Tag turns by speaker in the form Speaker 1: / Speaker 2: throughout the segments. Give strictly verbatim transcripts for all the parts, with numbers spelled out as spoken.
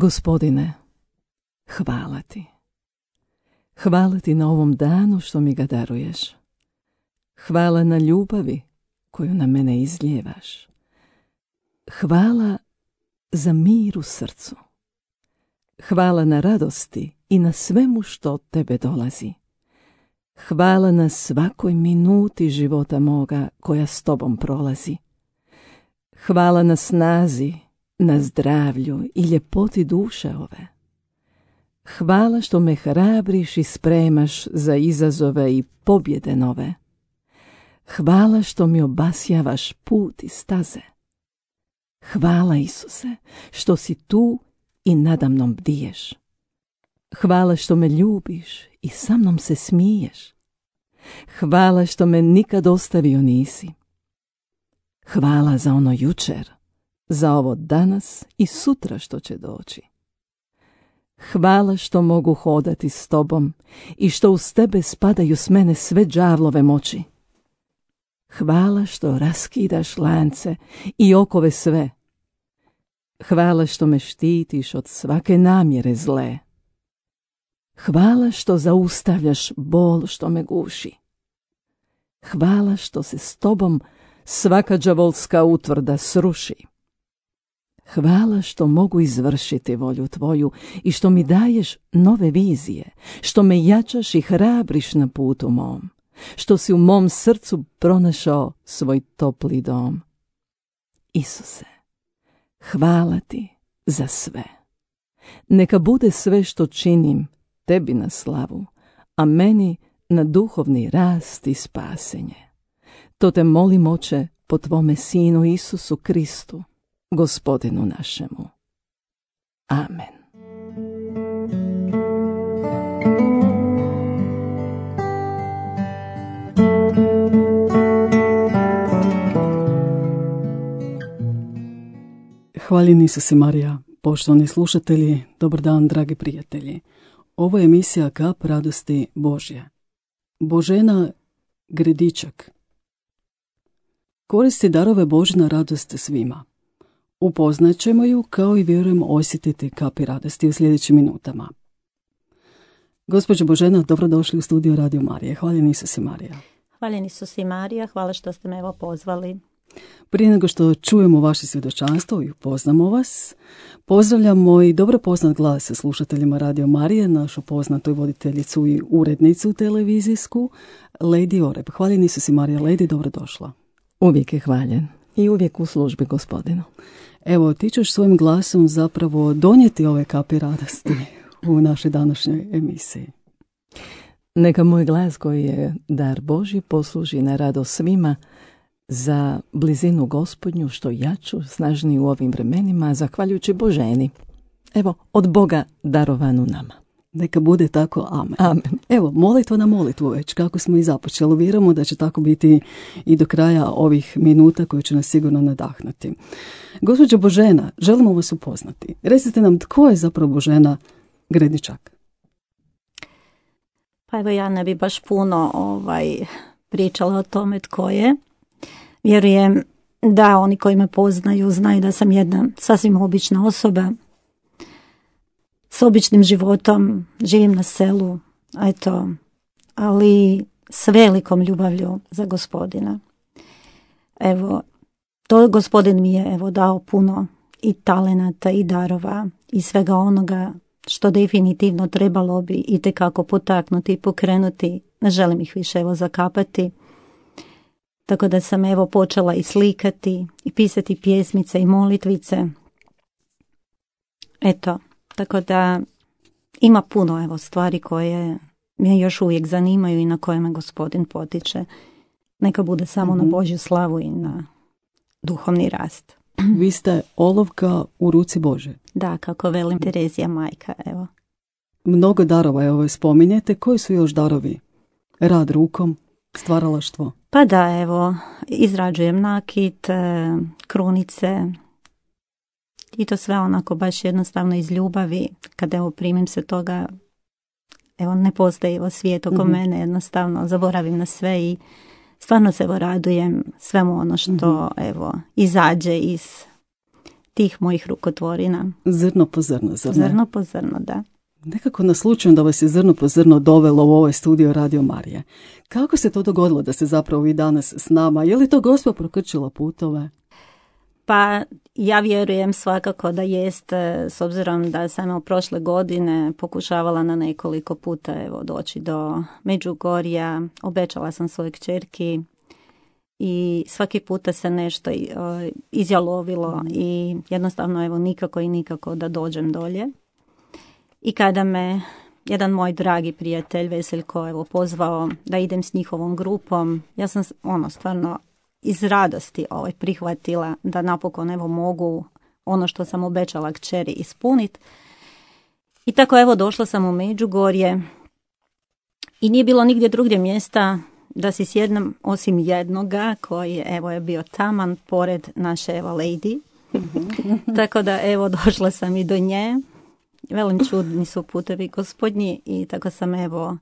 Speaker 1: Gospodine, hvala ti. Hvala ti na ovom danu što mi ga daruješ. Hvala na ljubavi koju na mene izlijevaš. Hvala za mir u srcu. Hvala na radosti i na svemu što od tebe dolazi. Hvala na svakoj minuti života moga koja s tobom prolazi. Hvala na snazi, na zdravlju i ljepoti duše ove. Hvala što me hrabriš i spremaš za izazove i pobjede nove. Hvala što mi obasjavaš put i staze. Hvala, Isuse, što si tu i nadamnom bdiješ. Hvala što me ljubiš i sa mnom se smiješ. Hvala što me nikad ostavio nisi. Hvala za ono jučer, za ovo danas i sutra što će doći. Hvala što mogu hodati s tobom i što uz tebe spadaju s mene sve đavlove moći. Hvala što raskidaš lance i okove sve. Hvala što me štitiš od svake namjere zle. Hvala što zaustavljaš bol što me guši. Hvala što se s tobom svaka đavolska utvrda sruši. Hvala što mogu izvršiti volju tvoju i što mi daješ nove vizije, što me jačaš i hrabriš na putu mom, što si u mom srcu pronašao svoj topli dom. Isuse, hvala ti za sve. Neka bude sve što činim tebi na slavu, a meni na duhovni rast i spasenje. To te molim, Oče, po tvome Sinu Isusu Kristu, Gospodinu našemu. Amen.
Speaker 2: Hvaljeni Isuse Marija, poštovani slušatelji, dobar dan, dragi prijatelji. Ovo je emisija Kap radosti Božje. Božena Gredičak koristi darove Božje na radost svima. Upoznat ćemo ju, kao i vjerujem osjetiti kapi radosti u sljedećim minutama. Gospođo Božena, dobrodošli u studio Radio Marije. Hvaljeni Isuse Marija.
Speaker 3: Hvaljeni Isuse Marija, hvala što ste me evo pozvali.
Speaker 2: Prije nego što čujemo vaše svjedočanstvo i upoznamo vas, pozdravljamo i dobro poznat glas sa slušateljima Radio Marije, našu poznatu i voditeljicu i urednicu televizijsku, Lady Oreb. Hvaljeni Isuse Marija. Lady, dobrodošla.
Speaker 1: Uvijek je hvaljen i uvijek u službi Gospodinu.
Speaker 2: Evo, ti ćeš svojim glasom zapravo donijeti ove kapi radosti u našoj današnjoj emisiji.
Speaker 1: Neka moj glas koji je dar Božji posluži na radost svima, za blizinu Gospodnju što jaču, snažniju u ovim vremenima, zahvaljujući Boženi. Evo, od Boga darovanu nama.
Speaker 2: Neka bude tako, amen.
Speaker 1: Amen.
Speaker 2: Evo, molitva na molitvu već, kako smo i započeli. Vjerujemo da će tako biti i do kraja ovih minuta koje će nas sigurno nadahnuti. Gospođo Božena, želimo vas upoznati. Recite nam, tko je zapravo Božena Gredičak?
Speaker 3: Pa evo, ja ne bi baš puno ovaj, pričala o tome tko je. Vjerujem da oni koji me poznaju znaju da sam jedna sasvim obična osoba s običnim životom, živim na selu, eto, ali s velikom ljubavlju za Gospodina. Evo, to Gospodin mi je evo dao puno i talenata i darova i svega onoga što definitivno trebalo bi itekako potaknuti i pokrenuti. Ne želim ih više evo zakapati. Tako da sam evo počela i slikati i pisati pjesmice i molitvice. Eto, tako da ima puno evo stvari koje me još uvijek zanimaju i na koje me Gospodin potiče. Neka bude samo mm-hmm. na Božju slavu i na duhovni rast.
Speaker 2: Vi ste olovka u ruci Bože.
Speaker 3: Da, kako velim Terezija majka, evo.
Speaker 2: Mnogo darova evo spominjete. Koji su još darovi? Rad rukom, stvaralaštvo?
Speaker 3: Pa da, evo, izrađujem nakit, krunice i to sve onako baš jednostavno iz ljubavi. Kada evo primim se toga, evo ne postoji evo svijet oko mm-hmm. mene, jednostavno zaboravim na sve i stvarno se evo radujem svemu ono što mm-hmm. evo izađe iz tih mojih rukotvorina.
Speaker 2: Zrno po zrno, zar ne?
Speaker 3: Zrno po zrno, da.
Speaker 2: Nekako naslučujem da vas je zrno po zrno dovelo u ovaj studio Radio Marije. Kako se to dogodilo da ste zapravo vi danas s nama? Je li to Gospa prokrčila putove?
Speaker 3: Pa ja vjerujem svakako da jest, s obzirom da sam evo, prošle godine pokušavala na nekoliko puta evo, doći do Međugorja, obećala sam svojoj kćerki i svaki puta se nešto izjalovilo i jednostavno evo, nikako i nikako da dođem dolje. I kada me jedan moj dragi prijatelj Veseljko evo, pozvao da idem s njihovom grupom, ja sam ono stvarno iz radosti ovaj, prihvatila da napokon evo mogu ono što sam obećala kćeri ispuniti. I tako evo došla sam u Međugorje i nije bilo nigdje drugdje mjesta da si sjednem osim jednoga koji evo je bio taman pored naše evo lady. Tako da evo došla sam i do nje. Velim, čudni su putevi gospodnji i tako sam evo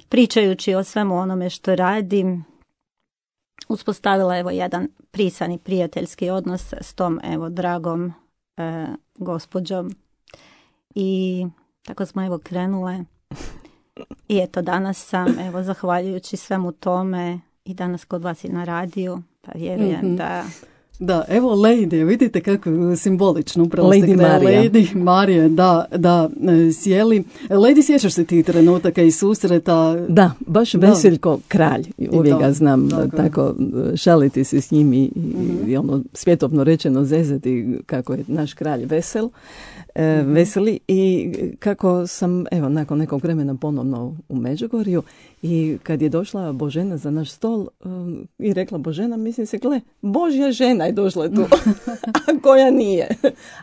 Speaker 3: pričajući o svemu onome što radim uspostavila evo jedan prisani prijateljski odnos s tom evo dragom e, gospođom i tako smo evo krenule i eto danas sam evo zahvaljujući svemu tome i danas kod vas i na radiju, pa vjerujem mm-hmm. da
Speaker 2: Da, evo Lady, vidite kako je simbolično, upravo
Speaker 1: Lady
Speaker 2: ste kraj
Speaker 1: Marija.
Speaker 2: Lady Marija, da, da, sjeli. Lady, sjećaš se ti trenutaka i susreta?
Speaker 1: Da, baš
Speaker 2: Da.
Speaker 1: Veseljko kralj, uvijek
Speaker 2: to,
Speaker 1: ga znam
Speaker 2: tako je.
Speaker 1: tako šaliti se s njim i,
Speaker 2: Mhm.
Speaker 1: i ono svjetovno rečeno zezati kako je naš kralj vesel, e, veseli i kako sam evo nakon nekog vremena ponovno u Međugorju i kad je došla Božena za naš stol um, i rekla Božena, mislim se, gle, Božja žena je došla tu, a koja nije,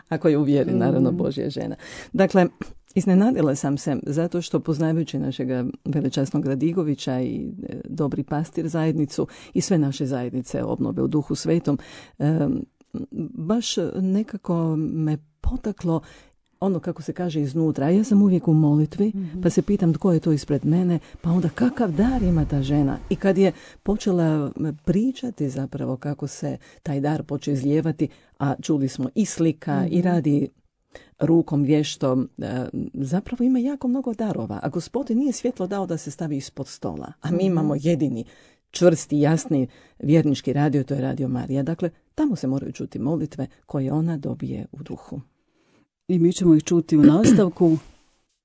Speaker 1: ako je u vjeri, naravno Božja žena. Dakle, iznenadila sam se zato što poznavajući našega velečasnog Radigovića i e, dobri pastir zajednicu i sve naše zajednice obnove u Duhu Svetom, e, baš nekako me potaklo ono kako se kaže iznutra. Ja sam uvijek u molitvi, mm-hmm. pa se pitam tko je to ispred mene, pa onda kakav dar ima ta žena. I kad je počela pričati zapravo kako se taj dar počeo izlijevati, a čuli smo i slika mm-hmm. i radi rukom vještom, zapravo ima jako mnogo darova. A Gospodin nije svjetlo dao da se stavi ispod stola. A mi imamo jedini čvrsti, jasni vjernički radio, to je Radio Marija. Dakle, tamo se moraju čuti molitve koje ona dobije u duhu.
Speaker 2: I mi ćemo ih čuti u nastavku.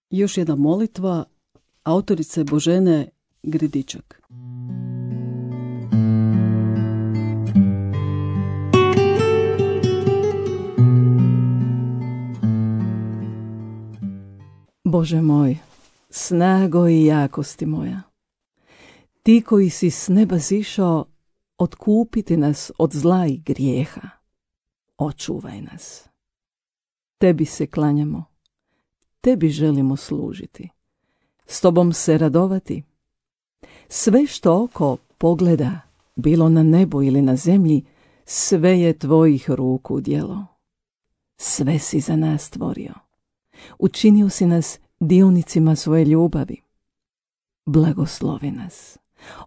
Speaker 2: Još jedna molitva autorice Božene Gredičak.
Speaker 1: Bože moj, snago i jakosti moja, ti koji si s neba zišao otkupiti nas od zla i grijeha, očuvaj nas. Tebi se klanjamo, tebi želimo služiti, s tobom se radovati. Sve što oko pogleda, bilo na nebu ili na zemlji, sve je tvojih ruku djelo. Sve si za nas stvorio. Učinio si nas dionicima svoje ljubavi. Blagoslovi nas,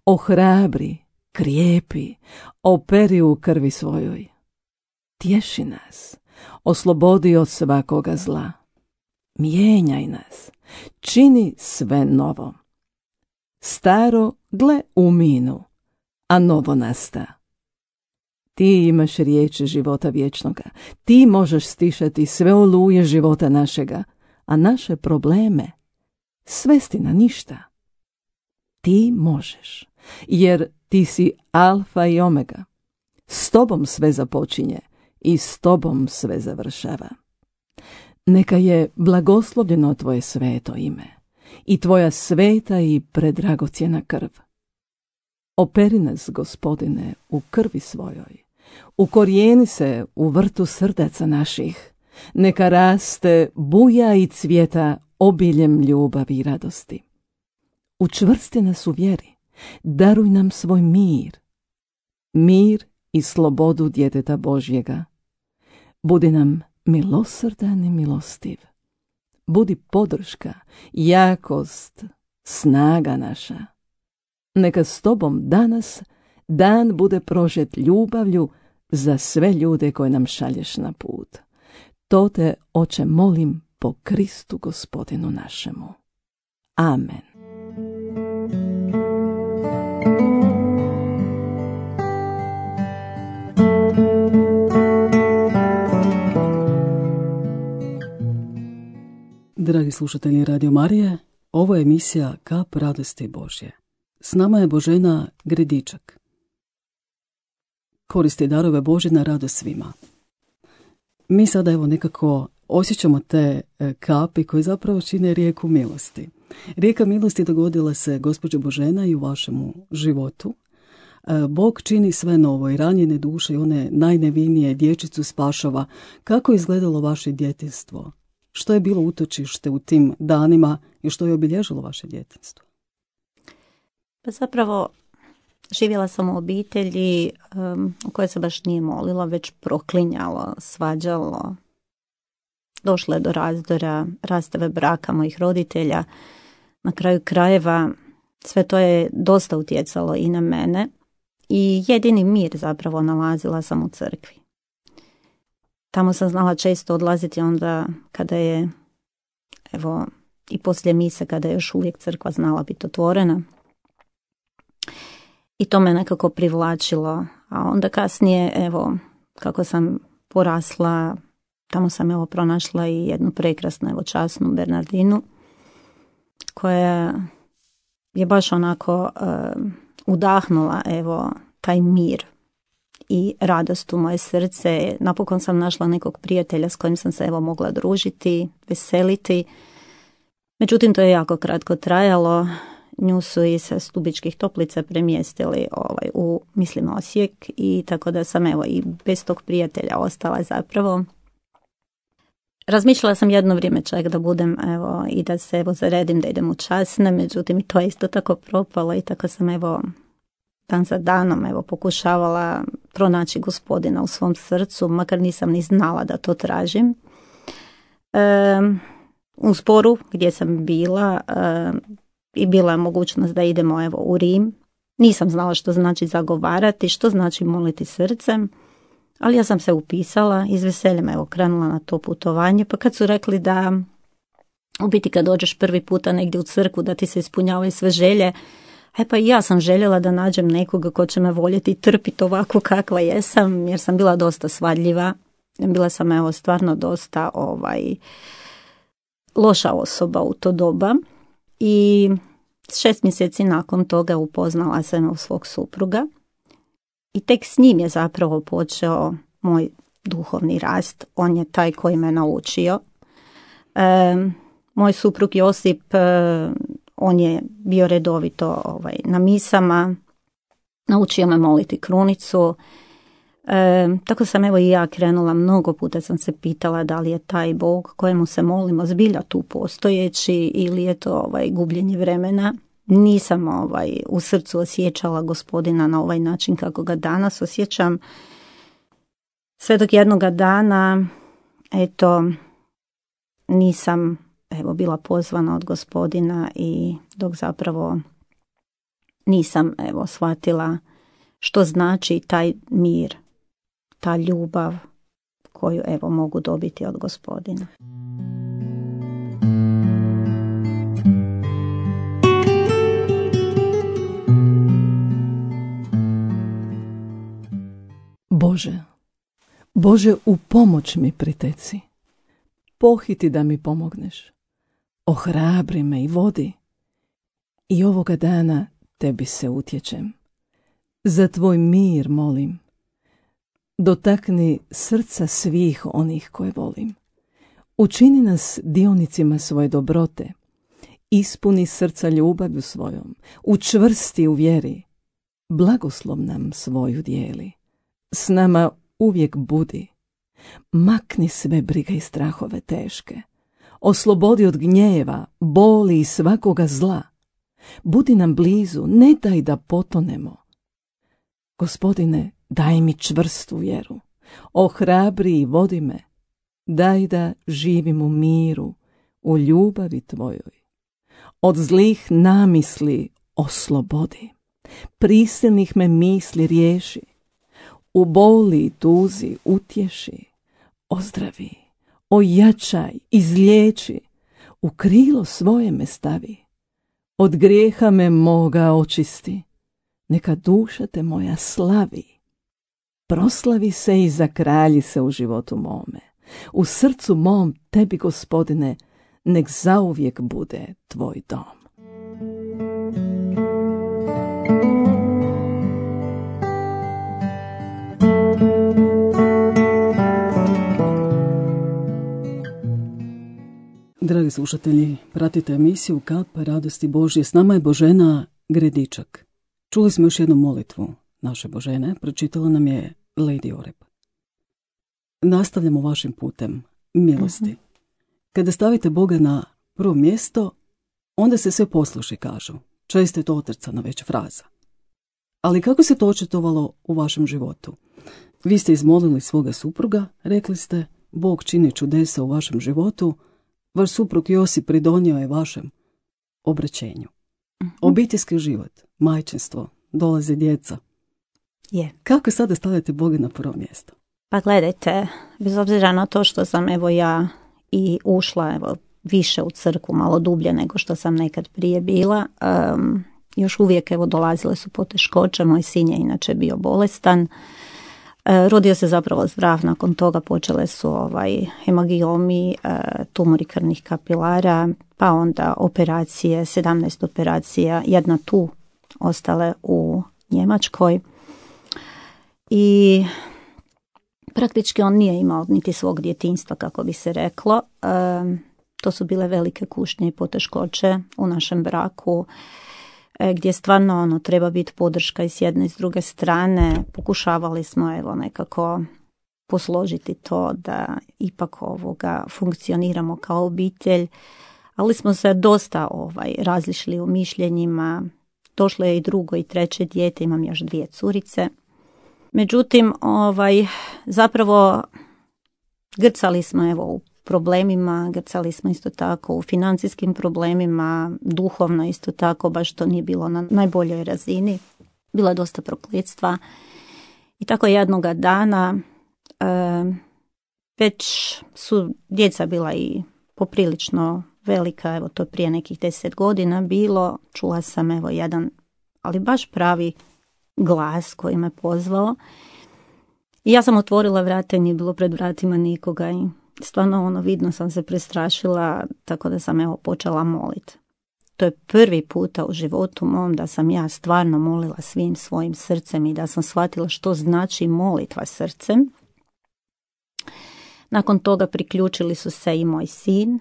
Speaker 1: ohrabri, krijepi, operi u krvi svojoj. Tješi nas, oslobodi od svakoga zla. Mijenjaj nas, čini sve novo. Staro gle uminu, a novo nasta. Ti imaš riječi života vječnoga, ti možeš stišati sve oluje života našega, a naše probleme svesti na ništa. Ti možeš, jer ti si alfa i omega. S tobom sve započinje i s tobom sve završava. Neka je blagoslovljeno tvoje sveto ime i tvoja sveta i predragocjena krv. Operi nas, Gospodine, u krvi svojoj. Ukorijeni se u vrtu srdaca naših. Neka raste, buja i cvjeta obiljem ljubavi i radosti. Učvrsti nas u vjeri. Daruj nam svoj mir. Mir i slobodu djeteta Božjega. Budi nam milosrdan i milostiv. Budi podrška, jakost, snaga naša. Neka s tobom danas dan bude prožet ljubavlju, za sve ljude koje nam šalješ na put. To te, Oče, molim po Kristu Gospodinu našemu. Amen.
Speaker 2: Dragi slušatelji Radio Marije, ovo je emisija Kap radosti Božje. S nama je Božena Gredičak. Koristi darove Božje na radost svima. Mi sada evo nekako osjećamo te kapi koje zapravo čine rijeku milosti. Rijeka milosti dogodila se, gospođo Božena, i u vašemu životu. Bog čini sve novo i ranjene duše i one najnevinije dječicu spašava. Kako je izgledalo vaše djetinjstvo? Što je bilo utočište u tim danima i što je obilježilo vaše djetinjstvo?
Speaker 3: Pa zapravo živjela sam u obitelji um, u kojoj se baš nije molila, već proklinjalo, svađalo. Došlo je do razdora, rastave braka mojih roditelja. Na kraju krajeva sve to je dosta utjecalo i na mene i jedini mir zapravo nalazila sam u crkvi. Tamo sam znala često odlaziti onda kada je, evo, i poslije mise, kada je još uvijek crkva znala biti otvorena. I to me nekako privlačilo. A onda kasnije, evo, kako sam porasla, tamo sam evo pronašla i jednu prekrasnu, evo, časnu Bernardinu, koja je baš onako uh, udahnula, evo, taj mir i radost u moje srce. Napokon sam našla nekog prijatelja s kojim sam se evo mogla družiti, veseliti. Međutim, to je jako kratko trajalo. Nju su i sa Stubičkih Toplica premjestili ovaj, u, mislim, Osijek, i tako da sam evo i bez tog prijatelja ostala zapravo. Razmišljala sam jedno vrijeme čak da budem evo i da se evo zaredim da idem u časne, međutim i to je isto tako propalo i tako sam evo dan za danom evo pokušavala pronaći Gospodina u svom srcu, makar nisam ni znala da to tražim. E, u Sporu gdje sam bila e, i bila je mogućnost da idemo evo u Rim. Nisam znala što znači zagovarati, što znači moliti srcem, ali ja sam se upisala i s veseljem evo krenula na to putovanje. Pa kad su rekli da u biti kad dođeš prvi puta negdje u crkvu da ti se ispunjavaju sve želje, e pa i ja sam željela da nađem nekoga ko će me voljeti i trpiti ovako kakva jesam, jer sam bila dosta svadljiva. Bila sam evo stvarno dosta ovaj loša osoba u to doba. I šest mjeseci nakon toga upoznala sam u svog supruga i tek s njim je zapravo počeo moj duhovni rast. On je taj koji me naučio. E, moj suprug Josip, e, on je bio redovito ovaj, na misama, naučio me moliti krunicu. E, tako sam evo i ja krenula, mnogo puta sam se pitala da li je taj Bog kojemu se molimo zbilja tu postojeći ili je to ovaj gubljenje vremena. Nisam ovaj u srcu osjećala Gospodina na ovaj način kako ga danas osjećam. Sve dok jednoga dana eto nisam evo bila pozvana od Gospodina i dok zapravo nisam evo shvatila što znači taj mir, ta ljubav koju evo mogu dobiti od Gospodina.
Speaker 1: Bože, Bože, u pomoć mi priteci. Pohiti da mi pomogneš. Ohrabri me i vodi. I ovoga dana tebi se utječem. Za tvoj mir molim. Dotakni srca svih onih koje volim. Učini nas dionicima svoje dobrote. Ispuni srca ljubavlju svojom. Učvrsti u vjeri. Blagoslov nam svoju dijeli. S nama uvijek budi. Makni sve brige i strahove teške. Oslobodi od gnjeva, boli i svakoga zla. Budi nam blizu, ne daj da potonemo. Gospodine, daj mi čvrstu vjeru. Ohrabri i vodi me. Daj da živim u miru, u ljubavi tvojoj. Od zlih namisli oslobodi. Prisilnih me misli riješi. u boli i tuzi utješi, ozdravi, ojačaj, izliječi, u krilo svoje me stavi, od grijeha me moga očisti, neka duša te moja slavi. Proslavi se i zakralji se u životu mome, u srcu mom tebi, Gospodine, nek zauvijek bude tvoj dom.
Speaker 2: Dragi slušatelji, pratite emisiju Kap radosti Božje. S nama je Božena Gredičak. Čuli smo još jednu molitvu naše Božene, pročitala nam je Lady Oreb. Nastavljamo vašim putem milosti. Uh-huh. Kada stavite Boga na prvo mjesto, onda se sve posluši, kažu. Često je to otrcana već fraza. Ali kako se to očitovalo u vašem životu? Vi ste izmolili svoga supruga, rekli ste, Bog čini čudesa u vašem životu, vaš suprug Josip pridonio je vašem obraćenju. Uh-huh. Obiteljski život, majčinstvo, dolaze djeca.
Speaker 3: Je.
Speaker 2: Kako sada stavljate Boga na prvo mjesto?
Speaker 3: Pa gledajte, bez obzira na to što sam evo ja i ušla evo više u crkvu, malo dublje nego što sam nekad prije bila, um, još uvijek evo dolazile su poteškoće, moj sin je inače bio bolestan, uh, rodio se zapravo zdrav, nakon toga počele su ovaj hemangiomi, uh, tumori krvnih kapilara, pa onda operacije, sedamnaest operacija, jedna tu, ostale u Njemačkoj. I praktički on nije imao niti svog djetinjstva, kako bi se reklo. E, to su bile velike kušnje i poteškoće u našem braku, e, gdje stvarno ono, treba biti podrška i s jedne i s druge strane. Pokušavali smo evo nekako posložiti to da ipak ovoga funkcioniramo kao obitelj, ali smo se dosta ovaj, različili u mišljenjima. Došlo je i drugo i treće dijete, imam još dvije curice. Međutim, ovaj, zapravo grcali smo evo u problemima, grcali smo isto tako u financijskim problemima, duhovno isto tako, baš to nije bilo na najboljoj razini. Bilo je dosta prokletstva. I tako jednoga dana e, već su djeca bila i poprilično velika, evo to prije nekih deset godina bilo, čula sam evo jedan, ali baš pravi glas koji me pozvao. I ja sam otvorila vrata i nije bilo pred vratima nikoga i stvarno ono vidno sam se prestrašila, tako da sam evo počela moliti. To je prvi puta u životu mom da sam ja stvarno molila svim svojim srcem i da sam shvatila što znači molitva srcem. Nakon toga priključili su se i moj sin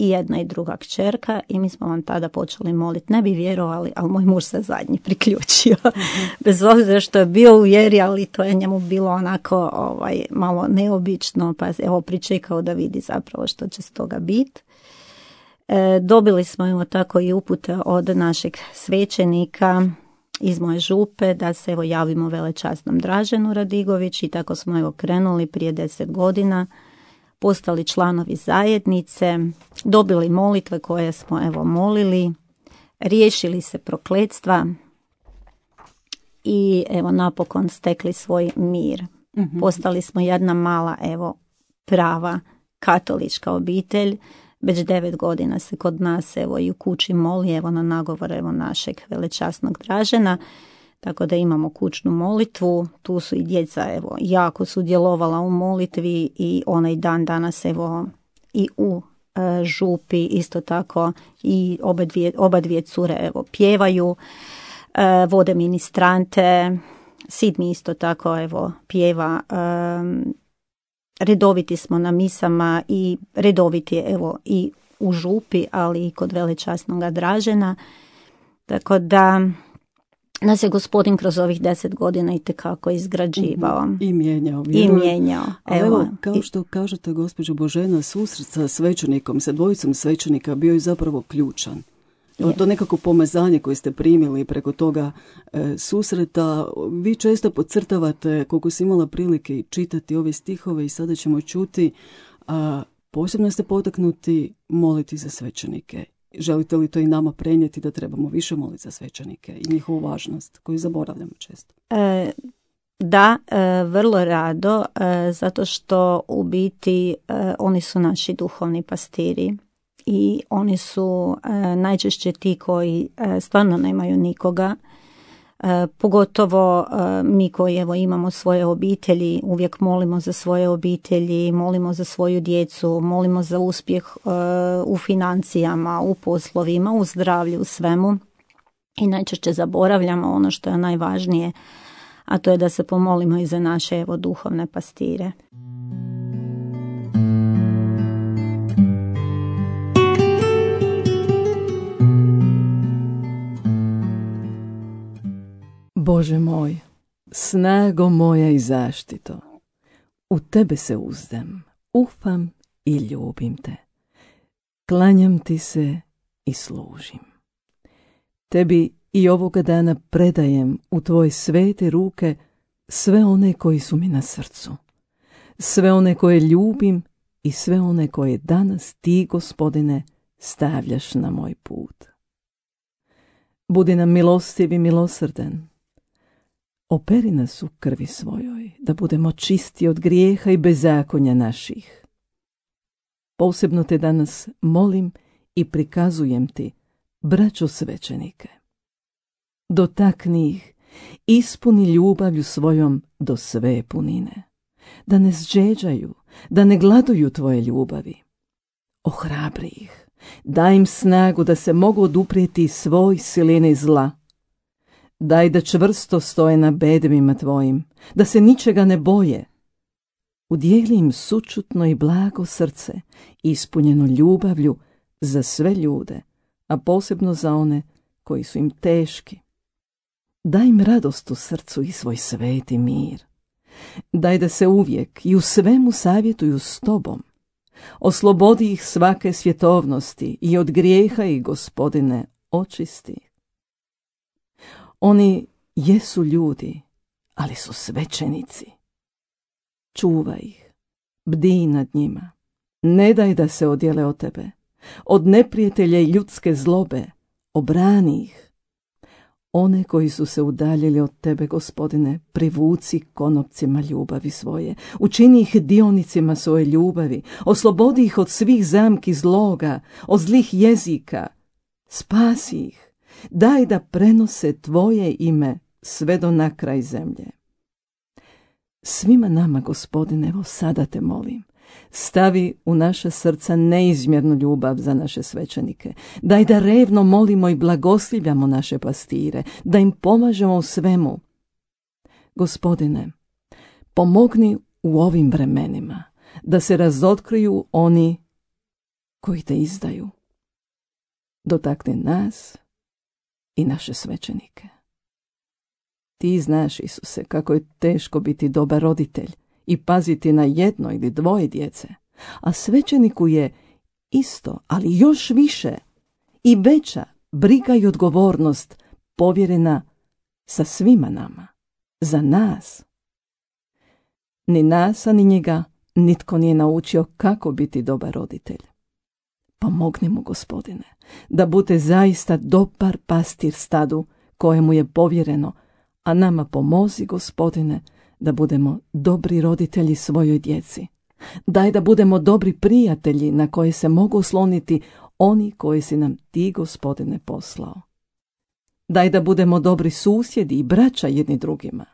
Speaker 3: i jedna i druga kćerka i mi smo vam tada počeli moliti. Ne bi vjerovali, ali moj muž se zadnji priključio. Mm-hmm. Bez obzira što je bio u vjeri, ali to je njemu bilo onako ovaj, malo neobično, pa evo pričekao da vidi zapravo što će s toga biti. E, dobili smo evo tako i upute od našeg svećenika iz moje župe da se evo javimo velečasnom Draženu Radigović i tako smo evo krenuli prije deset godina. Postali članovi zajednice, dobili molitve koje smo evo molili, riješili se prokletstva i evo napokon stekli svoj mir. Mm-hmm. Postali smo jedna mala evo prava katolička obitelj. Već devet godina se kod nas evo i u kući moli evo na nagovor evo našeg velečasnog Dražena. Tako da imamo kućnu molitvu, tu su i djeca evo jako sudjelovala u molitvi i onaj dan danas evo i u e, župi isto tako i oba dvije, oba dvije cure evo pjevaju, e, vode ministrante, sin mi isto tako evo pjeva, e, redoviti smo na misama i redoviti evo i u župi, ali i kod velečasnoga Dražena, tako da nas je Gospodin kroz ovih deset godina itekako izgrađivao.
Speaker 2: Mm-hmm. I mijenjao.
Speaker 3: I mijenjao.
Speaker 2: Evo, evo, kao što kažete, gospođo Božena, susret sa svećenikom, sa dvojicom svećenika bio je zapravo ključan. Evo, to nekako pomazanje koje ste primili preko toga e, susreta, vi često podcrtavate, koliko si imala prilike čitati ove stihove i sada ćemo čuti, a posebno ste potaknuti moliti za svećenike. Želite li to i nama prenijeti da trebamo više moliti za svećenike i njihovu važnost koju zaboravljamo često?
Speaker 3: E, Da, e, vrlo rado, e, zato što u biti e, oni su naši duhovni pastiri i oni su e, najčešće ti koji e, stvarno nemaju nikoga. E, pogotovo e, mi koji evo imamo svoje obitelji, uvijek molimo za svoje obitelji, molimo za svoju djecu, molimo za uspjeh e, u financijama, u poslovima, u zdravlju, u svemu i najčešće zaboravljamo ono što je najvažnije, a to je da se pomolimo i za naše evo duhovne pastire.
Speaker 1: Bože moj, snago moja i zaštito, u tebe se uzdam, ufam i ljubim te. Klanjam ti se i služim. Tebi i ovoga dana predajem u tvoje svete ruke sve one koji su mi na srcu, sve one koje ljubim i sve one koje danas ti, Gospodine, stavljaš na moj put. Budi nam milostiv i milosrdan. Operi nas u krvi svojoj, da budemo čisti od grijeha i bezakonja naših. Posebno te danas molim i prikazujem ti, braćo svećenike. Dotakni ih, ispuni ljubavlju svojom do sve punine. Da ne zđeđaju, da ne gladuju tvoje ljubavi. Ohrabri ih, daj im snagu da se mogu oduprijeti svoj silini zla. Daj da čvrsto stoje na bedemima tvojim, da se ničega ne boje. Udijeli im sućutno i blago srce, ispunjeno ljubavlju za sve ljude, a posebno za one koji su im teški. Daj im radost u srcu i svoj sveti mir. Daj da se uvijek i u svemu savjetuju s tobom. Oslobodi ih svake svjetovnosti i od grijeha i, Gospodine, očisti. Oni jesu ljudi, ali su svećenici. Čuvaj ih, bdij nad njima. Ne daj da se odjele od tebe. Od neprijatelja i ljudske zlobe obrani ih. One koji su se udaljili od tebe, Gospodine, privuci konopcima ljubavi svoje. Učini ih dionicima svoje ljubavi. Oslobodi ih od svih zamki zloga, od zlih jezika. Spasi ih. Daj da prenose tvoje ime sve do na kraj zemlje. Svima nama, Gospodine, evo sada te molim, stavi u naša srca neizmjernu ljubav za naše svećenike. Daj da revno molimo i blagoslivljamo naše pastire, da im pomažemo u svemu. Gospodine, pomogni u ovim vremenima da se razotkriju oni koji te izdaju. Dotakni nas i naše svećenike. Ti znaš, Isuse, kako je teško biti dobar roditelj i paziti na jedno ili dvoje djece, a svećeniku je isto, ali još više i veća briga i odgovornost povjerena sa svima nama, za nas. Ni nas, a ni njega nitko nije naučio kako biti dobar roditelj. Pomogni mu, Gospodine, da bude zaista dobar pastir stadu kojemu je povjereno, a nama pomozi, Gospodine, da budemo dobri roditelji svojoj djeci. Daj da budemo dobri prijatelji na koje se mogu osloniti oni koji si nam ti, Gospodine, poslao. Daj da budemo dobri susjedi i braća jedni drugima.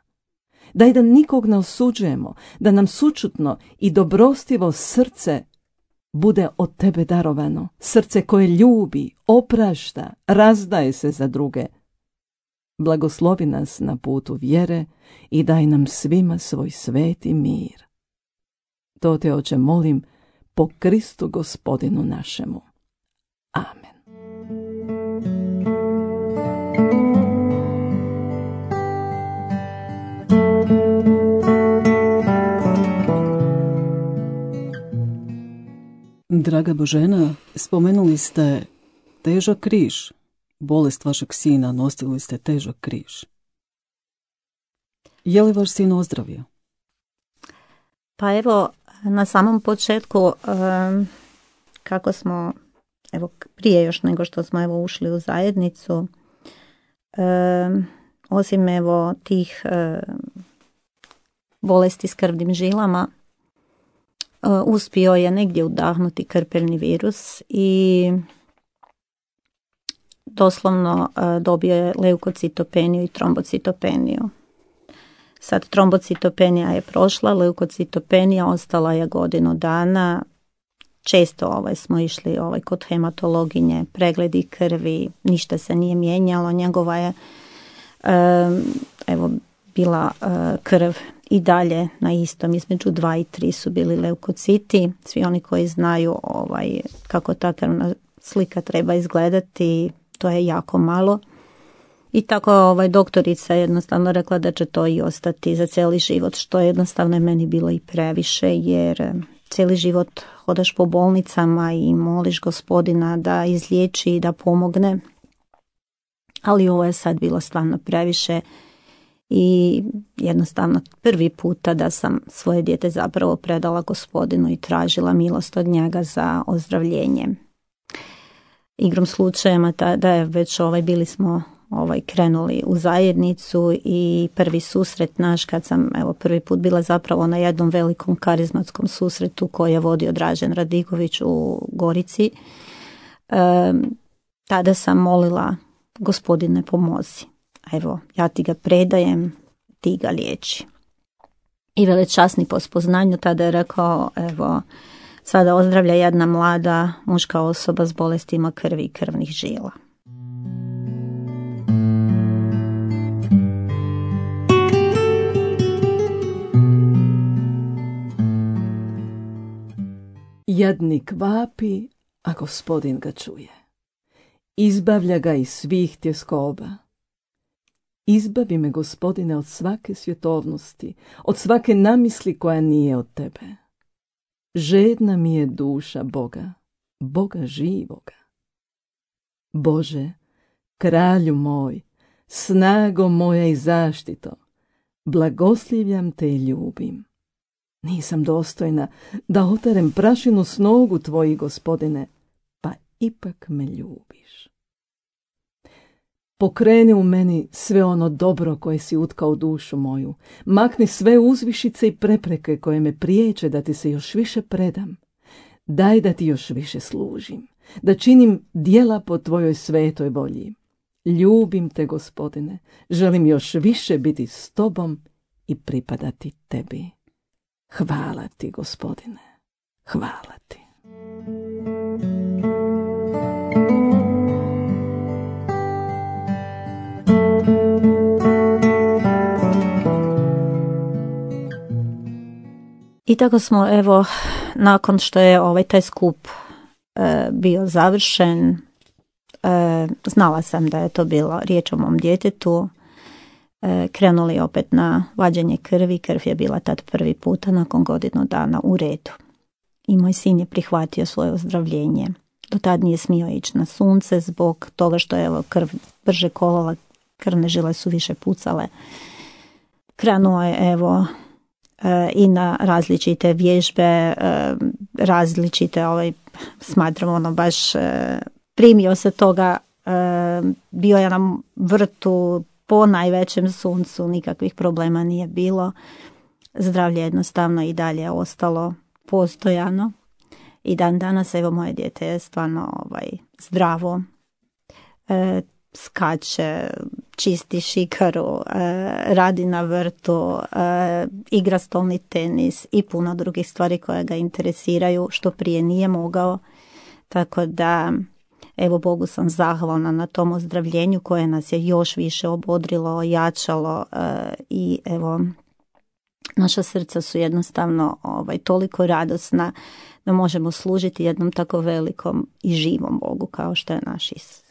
Speaker 1: Daj da nikog ne osuđujemo, da nam sućutno i dobrostivo srce bude od tebe darovano, srce koje ljubi, oprašta, razdaje se za druge. Blagoslovi nas na putu vjere i daj nam svima svoj sveti mir. To te, Oče, molim po Kristu Gospodinu našemu. Amen.
Speaker 2: Draga Božena, spomenuli ste težak križ. Bolest vašeg sina, nosili ste težak križ. Je li vaš sin ozdravio?
Speaker 3: Pa evo, na samom početku, um, kako smo, evo prije još nego što smo evo ušli u zajednicu, um, osim evo tih um, bolesti s krvnim žilama. Uspio je negdje udahnuti krpeljni virus i doslovno dobio je leukocitopeniju i trombocitopeniju. Sad trombocitopenija je prošla, leukocitopenija ostala je godinu dana. Često ovaj, smo išli ovaj, kod hematologinje, pregledi krvi, ništa se nije mijenjalo. Njegova je evo, bila krv i dalje na istom, između dva i tri su bili leukociti. Svi oni koji znaju ovaj, kako ta krvna slika treba izgledati, to je jako malo. I tako ovaj, doktorica je jednostavno rekla da će to i ostati za cijeli život, što je jednostavno meni bilo i previše, jer cijeli život hodaš po bolnicama i moliš Gospodina da izliječi i da pomogne. Ali ovo je sad bilo stvarno previše i jednostavno prvi puta da sam svoje dijete zapravo predala Gospodinu i tražila milost od njega za ozdravljenje. Igrom slučajema da je već ovaj, bili smo ovaj, krenuli u zajednicu i prvi susret naš kad sam evo, prvi put bila zapravo na jednom velikom karizmatskom susretu koji je vodio Dražen Radigović u Gorici. E, tada sam molila Gospodine pomozi. Evo, ja ti ga predajem, ti ga liječi. I velečasni po spoznanju tada je rekao, evo, sada ozdravlja jedna mlada muška osoba s bolestima krvi i krvnih žila.
Speaker 1: Jadnik vapi, a Gospodin ga čuje. Izbavlja ga iz svih tjeskoba. Izbavi me, Gospodine, od svake svjetovnosti, od svake namisli koja nije od tebe. Žedna mi je duša Boga, Boga živoga. Bože, kralju moj, snago moja i zaštito, blagoslivljam te i ljubim. Nisam dostojna da otarem prašinu s nogu tvojih, Gospodine, pa ipak me ljubiš. Pokreni u meni sve ono dobro koje si utkao u dušu moju. Makni sve uzvišice i prepreke koje me priječe da ti se još više predam. Daj da ti još više služim, da činim djela po tvojoj svetoj volji. Ljubim te, Gospodine, želim još više biti s tobom i pripadati tebi. Hvala ti, Gospodine, hvala ti.
Speaker 3: I tako smo, evo, nakon što je ovaj taj skup e, bio završen, e, znala sam da je to bilo riječ o mom djetetu, e, krenuli opet na vađenje krvi. Krv je bila tad prvi puta nakon godinu dana u redu. I moj sin je prihvatio svoje ozdravljenje. Do tad nije smio ići na sunce zbog toga što je evo, krv brže kolala, krvne žile su više pucale. Krenuo je, evo, i na različite vježbe, različite, ovaj, smatram ono baš primio se toga, bio je na vrtu po najvećem suncu, nikakvih problema nije bilo. Zdravlje jednostavno i dalje je ostalo postojano i dan danas evo moje dijete je stvarno ovaj, zdravo, skače, čisti šikaru, radi na vrtu, igra stolni tenis i puno drugih stvari koje ga interesiraju, što prije nije mogao. Tako da, evo Bogu sam zahvalna na tom ozdravljenju koje nas je još više obodrilo, ojačalo i evo, naša srca su jednostavno ovaj, toliko radosna da možemo služiti jednom tako velikom i živom Bogu kao što je naš Isus.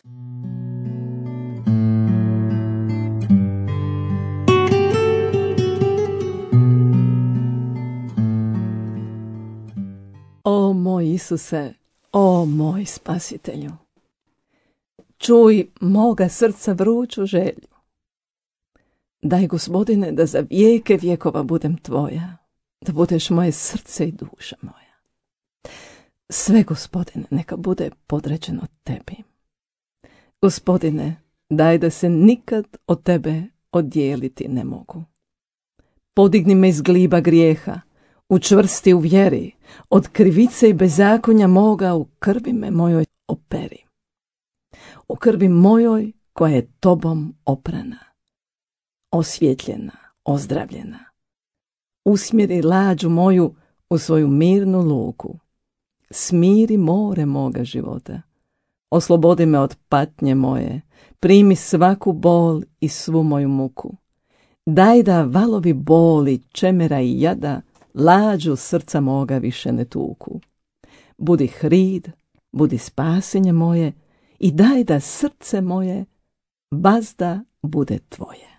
Speaker 1: O moj Isuse, o moj Spasitelju, čuj moga srca vruću želju. Daj, Gospodine, da za vijeke vjekova budem tvoja, da budeš moje srce i duša moja. Sve, Gospodine, neka bude podređeno tebi. Gospodine, daj da se nikad od tebe oddijeliti ne mogu. Podigni me iz gliba grijeha, učvrsti u vjeri, od krivice i bezakonja moga u krvi me mojoj operi. U krvi mojoj koja je tobom oprana, osvjetljena, ozdravljena. Usmjeri lađu moju u svoju mirnu luku. Smiri more moga života. Oslobodi me od patnje moje. Primi svaku bol i svu moju muku. Daj da valovi boli, čemera i jada lađu srca moga više ne tuku. Budi hrid, budi spasenje moje i daj da srce moje vazda bude tvoje.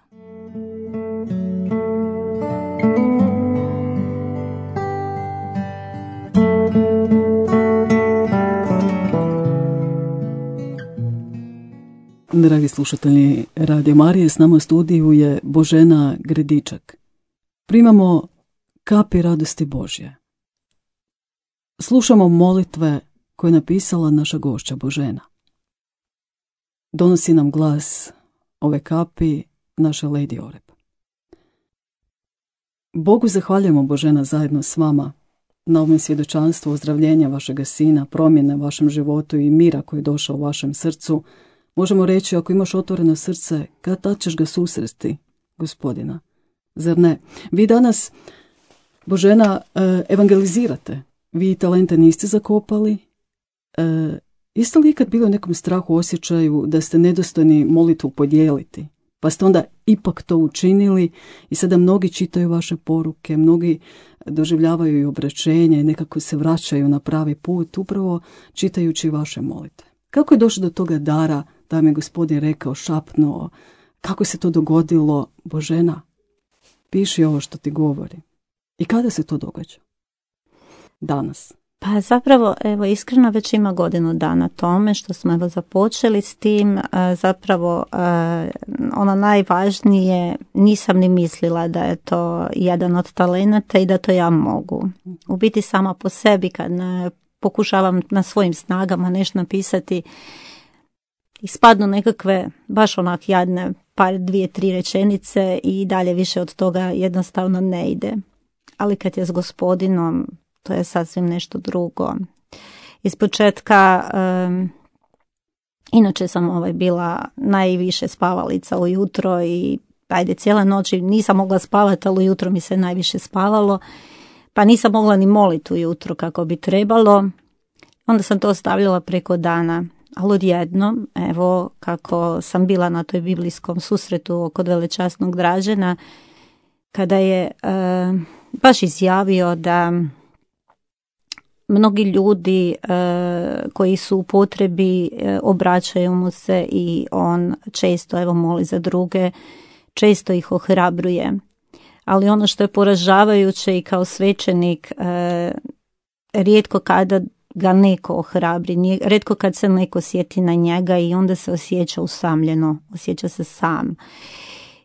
Speaker 2: Dragi slušatelji Radio Marije, s nama u studiju je Božena Gredičak. Primamo kapi radosti Božje. Slušamo molitve koje je napisala naša gošća Božena. Donosi nam glas ove kapi naša Lady Oreb. Bogu zahvaljujemo, Božena, zajedno s vama na ovom svjedočanstvu ozdravljenja vašega sina, promjene u vašem životu i mira koji je došao u vašem srcu. Možemo reći, ako imaš otvoreno srce, kad tad ćeš ga susresti, Gospodina. Zar ne? Vi danas, Božena, evangelizirate. Vi talente niste zakopali. E, jeste li ikad bili u nekom strahu, osjećaju da ste nedostojni molitvu podijeliti? Pa ste onda ipak to učinili i sada mnogi čitaju vaše poruke, mnogi doživljavaju i obraćenja i nekako se vraćaju na pravi put, upravo čitajući vaše molitve. Kako je došlo do toga dara, da mi je Gospodin rekao, šapnuo, kako se to dogodilo? Božena, piši ovo što ti govori. I kada se to događa? Danas.
Speaker 3: Pa zapravo, evo, iskreno već ima godinu dana tome što smo evo započeli s tim. Zapravo, ono najvažnije, nisam ni mislila da je to jedan od talenata i da to ja mogu. U biti sama po sebi, kad pokušavam na svojim snagama nešto napisati, ispadnu nekakve baš onak jadne par, dvije, tri rečenice i dalje više od toga jednostavno ne ide. Ali kad je s Gospodinom, to je sasvim nešto drugo. Ispočetka, um, inače sam ovaj bila najviše spavalica ujutro i ajde cijele noći nisam mogla spavati, ali ujutro mi se najviše spavalo, pa nisam mogla ni moliti ujutro kako bi trebalo. Onda sam to ostavljala preko dana. Ali odjednom, evo kako sam bila na toj biblijskom susretu kod velečasnog Dražena, kada je uh, baš izjavio da mnogi ljudi uh, koji su u potrebi uh, obraćaju mu se i on često evo moli za druge, često ih ohrabruje. Ali ono što je poražavajuće i kao svećenik, uh, rijetko kada ga neko ohrabri, rijetko kad se neko sjeti na njega i onda se osjeća usamljeno, osjeća se sam.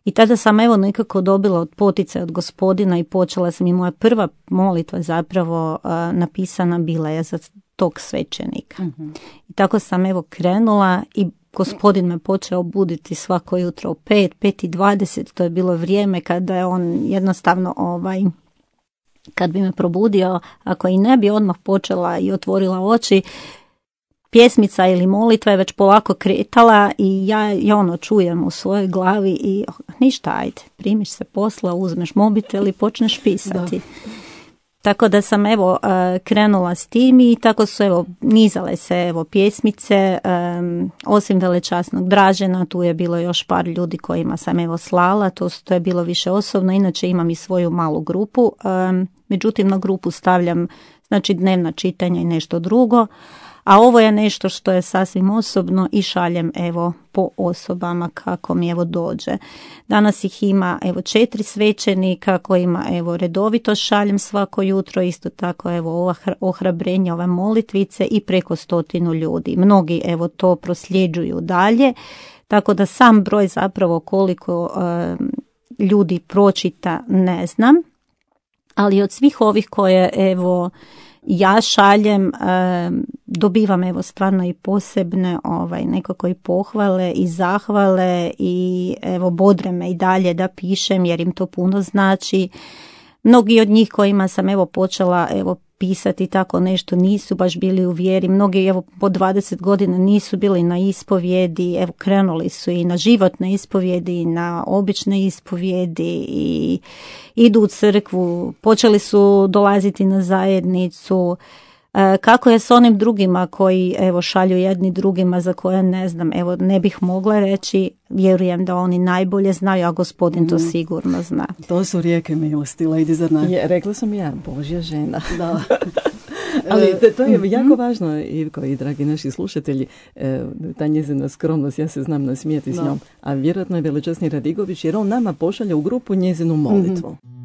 Speaker 3: I tada sam evo nekako dobila od poticaja od Gospodina i počela sam, i moja prva molitva zapravo uh, napisana bila je za tog svećenika. Mm-hmm. I tako sam evo krenula i Gospodin me počeo buditi svako jutro u pet, pet i dvadeset, to je bilo vrijeme kada je on jednostavno ovaj... kad bi me probudio, ako i ne bi odmah počela i otvorila oči, pjesmica ili molitva je već polako kretala i ja, ja ono čujem u svojoj glavi i oh, ništa, ajde, primiš se posla, uzmeš mobitel i počneš pisati. Da. Tako da sam evo krenula s tim i tako su evo nizale se evo pjesmice, um, osim velečasnog Dražena, tu je bilo još par ljudi kojima sam evo slala, to, to je bilo više osobno, inače imam i svoju malu grupu, um, međutim na grupu stavljam znači dnevna čitanja i nešto drugo, a ovo je nešto što je sasvim osobno i šaljem evo po osobama kako mi evo dođe. Danas ih ima evo četiri svećenika kojima evo redovito šaljem svako jutro, isto tako evo ova ohrabrenja, ove molitvice i preko stotinu ljudi. Mnogi evo to prosljeđuju dalje, tako da sam broj zapravo koliko uh, ljudi pročita ne znam, ali od svih ovih koje evo ja šaljem, dobivam evo stvarno i posebne ovaj, nekako i pohvale i zahvale i evo bodre me i dalje da pišem jer im to puno znači. Mnogi od njih kojima sam evo počela evo pisati tako nešto nisu baš bili u vjeri, mnogi evo po dvadeset godina nisu bili na ispovjedi, evo krenuli su i na životne ispovjedi i na obične ispovjedi i idu u crkvu, počeli su dolaziti na zajednicu. E, kako je s onim drugima koji evo šalju jedni drugima za koje ne znam, evo ne bih mogla reći, vjerujem da oni najbolje znaju, a Gospodin to sigurno zna.
Speaker 2: To su rijeke milosti, lady, zar ne?
Speaker 1: Je, rekla sam ja, Božja žena.
Speaker 2: Da.
Speaker 1: Ali to je jako važno, Ivko i dragi naši slušatelji, ta njezina skromnost, ja se znam nasmijeti s njom, a vjerojatno je velečasni Radigović jer on nama pošalja u grupu njezinu molitvu. Mm-hmm.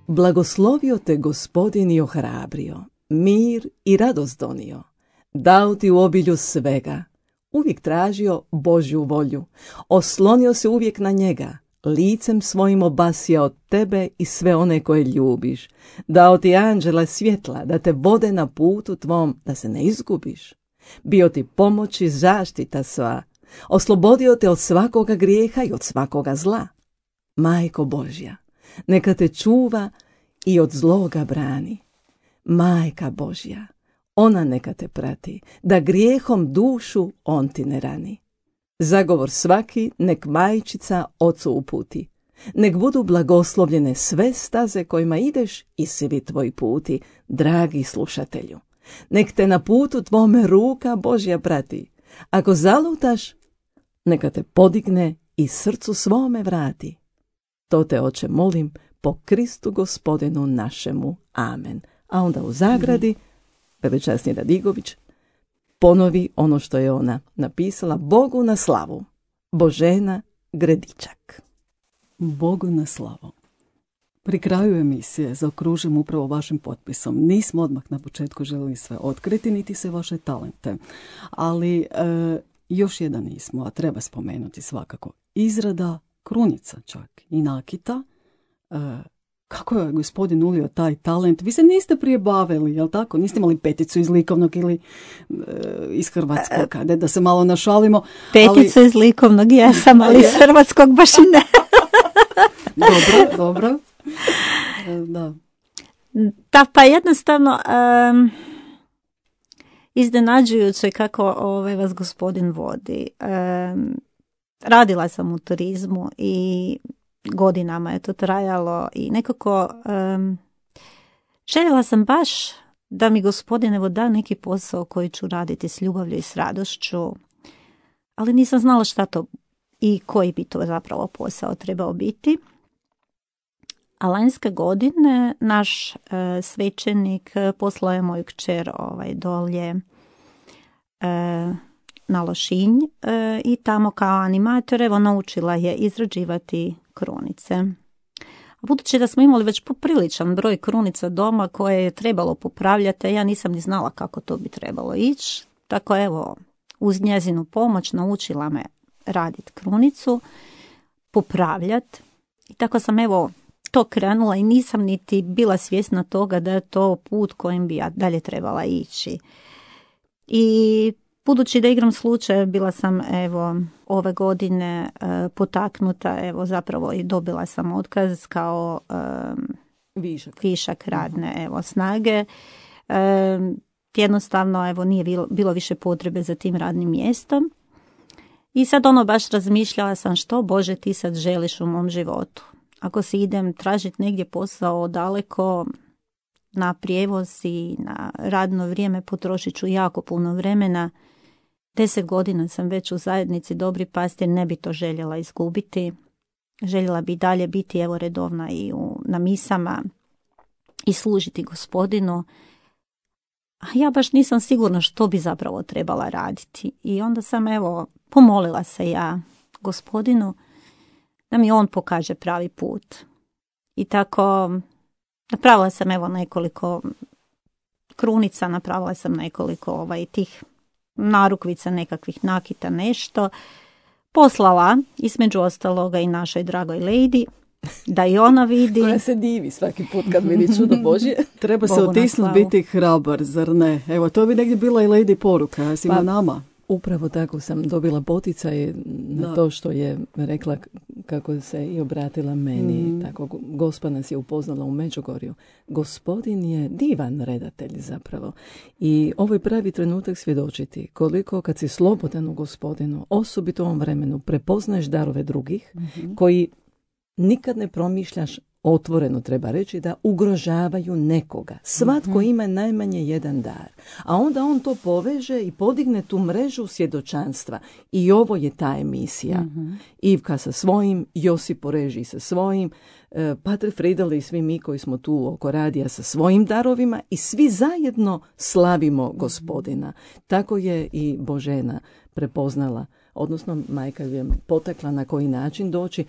Speaker 1: Blagoslovio te Gospodin i ohrabrio, mir i radost donio, dao ti u obilju svega, uvijek tražio Božju volju, oslonio se uvijek na njega, licem svojim obasjao tebe i sve one koje ljubiš, dao ti anđela svjetla da te vode na putu tvom, da se ne izgubiš, bio ti pomoć i zaštita sva, oslobodio te od svakoga grijeha i od svakoga zla. Majko Božja, neka te čuva i od zloga brani. Majka Božja, ona neka te prati, da grijehom dušu on ti ne rani. Zagovor svaki nek majčica ocu uputi. Nek budu blagoslovljene sve staze kojima ideš i svi tvoji puti, dragi slušatelju. Nek te na putu tvome ruka Božja prati. Ako zalutaš, neka te podigne i srcu svome vrati. To te, Oče, molim, po Kristu Gospodinu našemu. Amen. A onda u zagradi, velečasni Radigović ponovi ono što je ona napisala: Bogu na slavu, Božena Gredičak.
Speaker 2: Bogu na slavu. Pri kraju emisije zaokružim upravo vašim potpisom. Nismo odmah na početku želili sve otkriti, niti se vaše talente. Ali e, još jedan nismo, a treba spomenuti svakako. Izrada krunica čak i nakita. E, kako je Gospodin ulio taj talent? Vi se niste prije bavili, jel tako? Niste imali peticu iz likovnog ili e, iz hrvatskog, kada da se malo našalimo.
Speaker 3: Peticu ali... iz likovnog jesam, ali iz hrvatskog baš i ne.
Speaker 2: Dobro, dobro. E, da.
Speaker 3: Da, pa jednostavno um, iznenađujuće kako ovaj, vas Gospodin vodi. Um, radila sam u turizmu i godinama je to trajalo i nekako um, željela sam baš da mi Gospodin evo da neki posao koji ću raditi s ljubavlju i s radošću, ali nisam znala šta to i koji bi to zapravo posao trebao biti. A lanjske godine naš e, svećenik poslao je moju kćer ovaj, dolje e, na Lošinj e, i tamo kao animator evo naučila je izrađivati krunice. A budući da smo imali već popriličan broj krunica doma koje je trebalo popravljati, ja nisam ni znala kako to bi trebalo ići. Tako evo, uz njezinu pomoć naučila me raditi krunicu, popravljati i tako sam evo to krenula i nisam niti bila svjesna toga da je to put kojim bi ja dalje trebala ići. I budući da igram slučaja, bila sam evo ove godine e, potaknuta, evo zapravo i dobila sam otkaz kao e,
Speaker 1: višak.
Speaker 3: višak radne evo snage. E, jednostavno evo nije bilo, bilo više potrebe za tim radnim mjestom. I sad ono baš razmišljala sam što Bože ti sad želiš u mom životu. Ako si idem tražiti negdje posao daleko, na prijevoz i na radno vrijeme potrošit ću jako puno vremena. Deset godina sam već u zajednici Dobri pastir, ne bi to željela izgubiti. Željela bi dalje biti evo redovna i u, na misama i služiti Gospodinu. A ja baš nisam sigurna što bi zapravo trebala raditi. I onda sam evo pomolila se ja Gospodinu da mi on pokaže pravi put. I tako napravila sam evo nekoliko krunica, napravila sam nekoliko ovaj, tih narukvica nekakvih nakita, nešto, poslala između ostaloga i našoj dragoj lady, da i ona vidi.
Speaker 1: Koja se divi svaki put kad vidi čudo Božje.
Speaker 2: Treba se otisnuti, biti hrabar, zar ne? Evo, to bi negdje bila i lady poruka, svima pa, nama.
Speaker 1: Upravo tako sam dobila poticaj na da. to što je rekla kako se i obratila meni. Mm. Tako, Gospa nas je upoznala u Međugorju. Gospodin je divan redatelj zapravo. I ovo je pravi trenutak svjedočiti koliko kad si slobodan u Gospodinu, osobito u ovom vremenu, prepoznaješ darove drugih mm-hmm. koji nikad ne promišljaš, otvoreno treba reći, da ugrožavaju nekoga. Svatko mm-hmm. ima najmanje jedan dar. A onda on to poveže i podigne tu mrežu svjedočanstva. I ovo je ta emisija. Mm-hmm. Ivka sa svojim, Josip Poreži sa svojim, eh, Pater Friedel i svi mi koji smo tu oko radija sa svojim darovima i svi zajedno slavimo Gospodina. Tako je i Božena prepoznala, odnosno majka je potakla na koji način doći.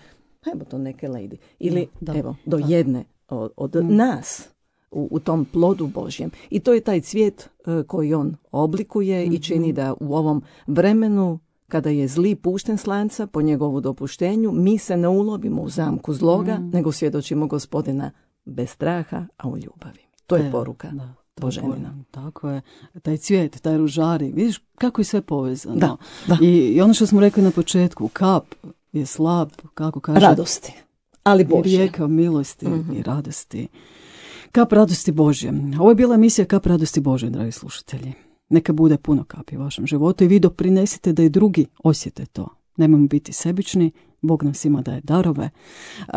Speaker 1: Evo to neke lady. Ili da, evo, do da. jedne od, od mm. nas u, u tom plodu Božjem. I to je taj cvijet uh, koji on oblikuje mm-hmm. i čini da u ovom vremenu kada je zli pušten s lanca po njegovu dopuštenju, mi se ne ulovimo u zamku zloga, mm. nego svjedočimo Gospodina bez straha, a u ljubavi. To je poruka. Da. Boženina.
Speaker 2: Tako je. Taj cvijet, taj ružari, vidiš kako je sve povezano.
Speaker 1: Da, da.
Speaker 2: I, I ono što smo rekli na početku, kap je slab, kako kaže,
Speaker 1: radosti, ali Božje.
Speaker 2: Rijeka milosti
Speaker 1: mm-hmm.
Speaker 2: i radosti. Kap radosti Božje. Ovo je bila emisija Kap radosti Božje, dragi slušatelji. Neka bude puno kapi u vašem životu i vi doprinesite da i drugi osjete to. Nemojmo biti sebični, Bog nam svima daje darove. Uh,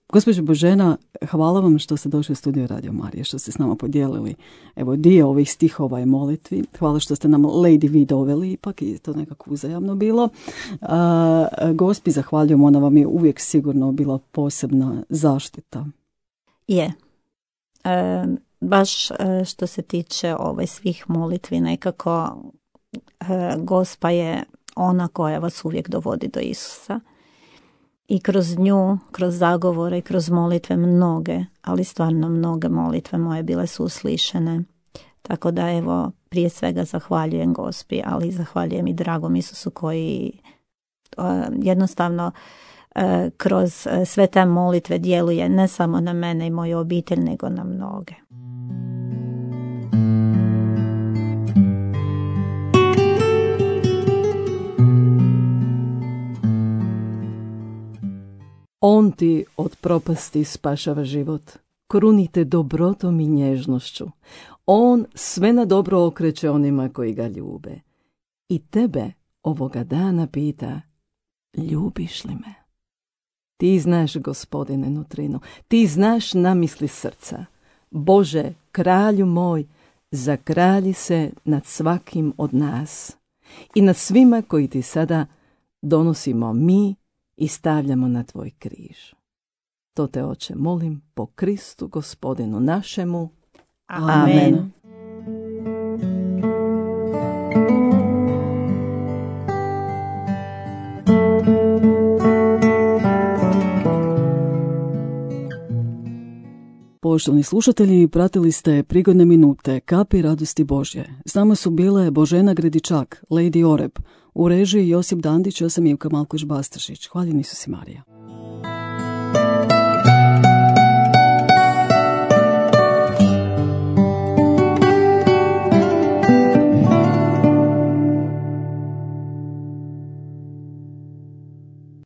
Speaker 2: Gospođo Božena, hvala vam što ste došli u studio Radio Marije, što ste s nama podijelili evo dio ovih stihova i molitvi. Hvala što ste nam Lady Vi doveli, ipak je to nekako uzajamno bilo. A, gospi, zahvaljujem, ona vam je uvijek sigurno bila posebna zaštita.
Speaker 3: Je. E, baš što se tiče ovaj, svih molitvi, nekako e, Gospa je ona koja vas uvijek dovodi do Isusa. I kroz nju, kroz zagovore i kroz molitve mnoge, ali stvarno mnoge molitve moje bile su uslišene. Tako da evo, prije svega zahvaljujem Gospi, ali zahvaljujem i dragom Isusu koji uh, jednostavno uh, kroz uh, sve te molitve djeluje ne samo na mene i moju obitelj, nego na mnoge.
Speaker 1: On ti od propasti spašava život. Krunite dobrotom i nježnošću. On sve na dobro okreće onima koji ga ljube. I tebe ovoga dana pita, ljubiš li me? Ti znaš, Gospodine, nutrinu. Ti znaš namisli srca. Bože, kralju moj, zakralji se nad svakim od nas i nad svima koji ti sada donosimo mi i stavljamo na tvoj križ. To te, Oče, molim po Kristu Gospodinu našemu.
Speaker 3: Amen. Amen.
Speaker 2: Poštovani slušatelji, pratili ste prigodne minute Kapi radosti Božje. S nama su bile Božena Gredičak, Lady Oreb, u režiji Josip Dandić, ja sam Ivka Malkoš-Bastašić. Hvaljeni su si Marija.